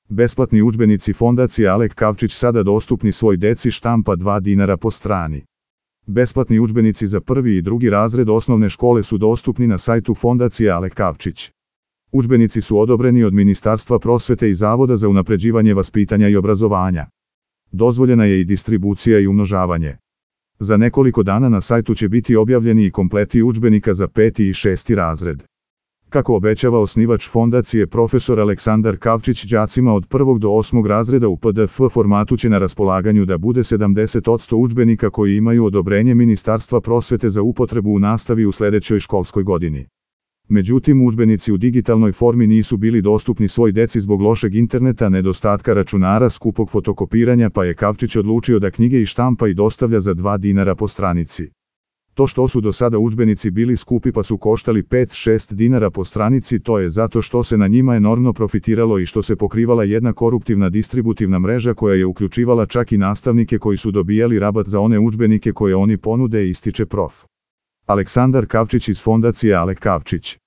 Besplatni udžbenici Fondacije Alek Kavčić sada dostupni svoj deci, štampa 2 dinara po strani. Besplatni udžbenici za prvi i drugi razred osnovne škole su dostupni na sajtu Fondacije Alek Kavčić. Udžbenici su odobreni od Ministarstva prosvete i Zavoda za unapređivanje vaspitanja i obrazovanja. Dozvoljena je i distribucija i umnožavanje. Za nekoliko dana na sajtu će biti objavljeni i kompleti udžbenika za 5. i 6. razred. Kako obećava osnivač fondacije profesor Aleksandar Kavčić, đacima od 1. do 8. razreda u PDF formatu će na raspolaganju da bude 70% udžbenika koji imaju odobrenje Ministarstva prosvete za upotrebu u nastavi u sledećoj školskoj godini. Međutim, udžbenici u digitalnoj formi nisu bili dostupni svoj deci zbog lošeg interneta, nedostatka računara, skupog fotokopiranja, pa je Kavčić odlučio da knjige i štampa i dostavlja za 2 dinara po stranici. To što su do sada udžbenici bili skupi pa su koštali 5-6 dinara po stranici, to je zato što se na njima enormno profitiralo i što se pokrivala jedna koruptivna distributivna mreža koja je uključivala čak i nastavnike koji su dobijali rabat za one udžbenike koje oni ponude, ističe prof. Aleksandar Kavčić iz Fondacije Alek Kavčić.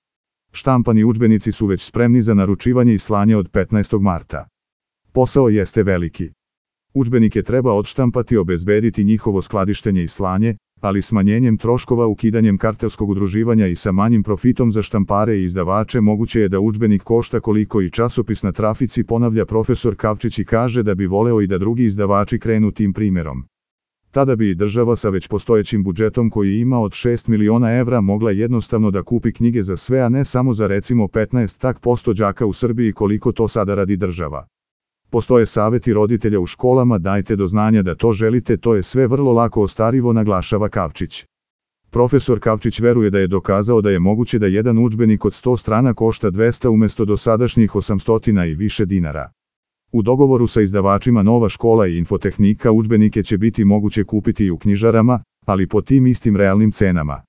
Štampani udžbenici su već spremni za naručivanje i slanje od 15. marta. Posao jeste veliki. Udžbenike treba odštampati, obezbediti njihovo skladištenje i slanje, ali smanjenjem troškova, ukidanjem kartelskog udruživanja i sa manjim profitom za štampare i izdavače moguće je da udžbenik košta koliko i časopis na trafici, ponavlja profesor Kavčić i kaže da bi voleo i da drugi izdavači krenu tim primjerom. Tada bi i država sa već postojećim budžetom koji ima od 6 miliona evra mogla jednostavno da kupi knjige za sve, a ne samo za recimo 15% đaka u Srbiji koliko to sada radi država. Postoje saveti roditelja u školama, dajte do znanja da to želite, to je sve vrlo lako ostvarivo, naglašava Kavčić. Profesor Kavčić veruje da je dokazao da je moguće da jedan udžbenik od 100 strana košta 200 umesto dosadašnjih 800 i više dinara. U dogovoru sa izdavačima Nova škola i Infotehnika udžbenike će biti moguće kupiti i u knjižarama, ali po tim istim realnim cenama.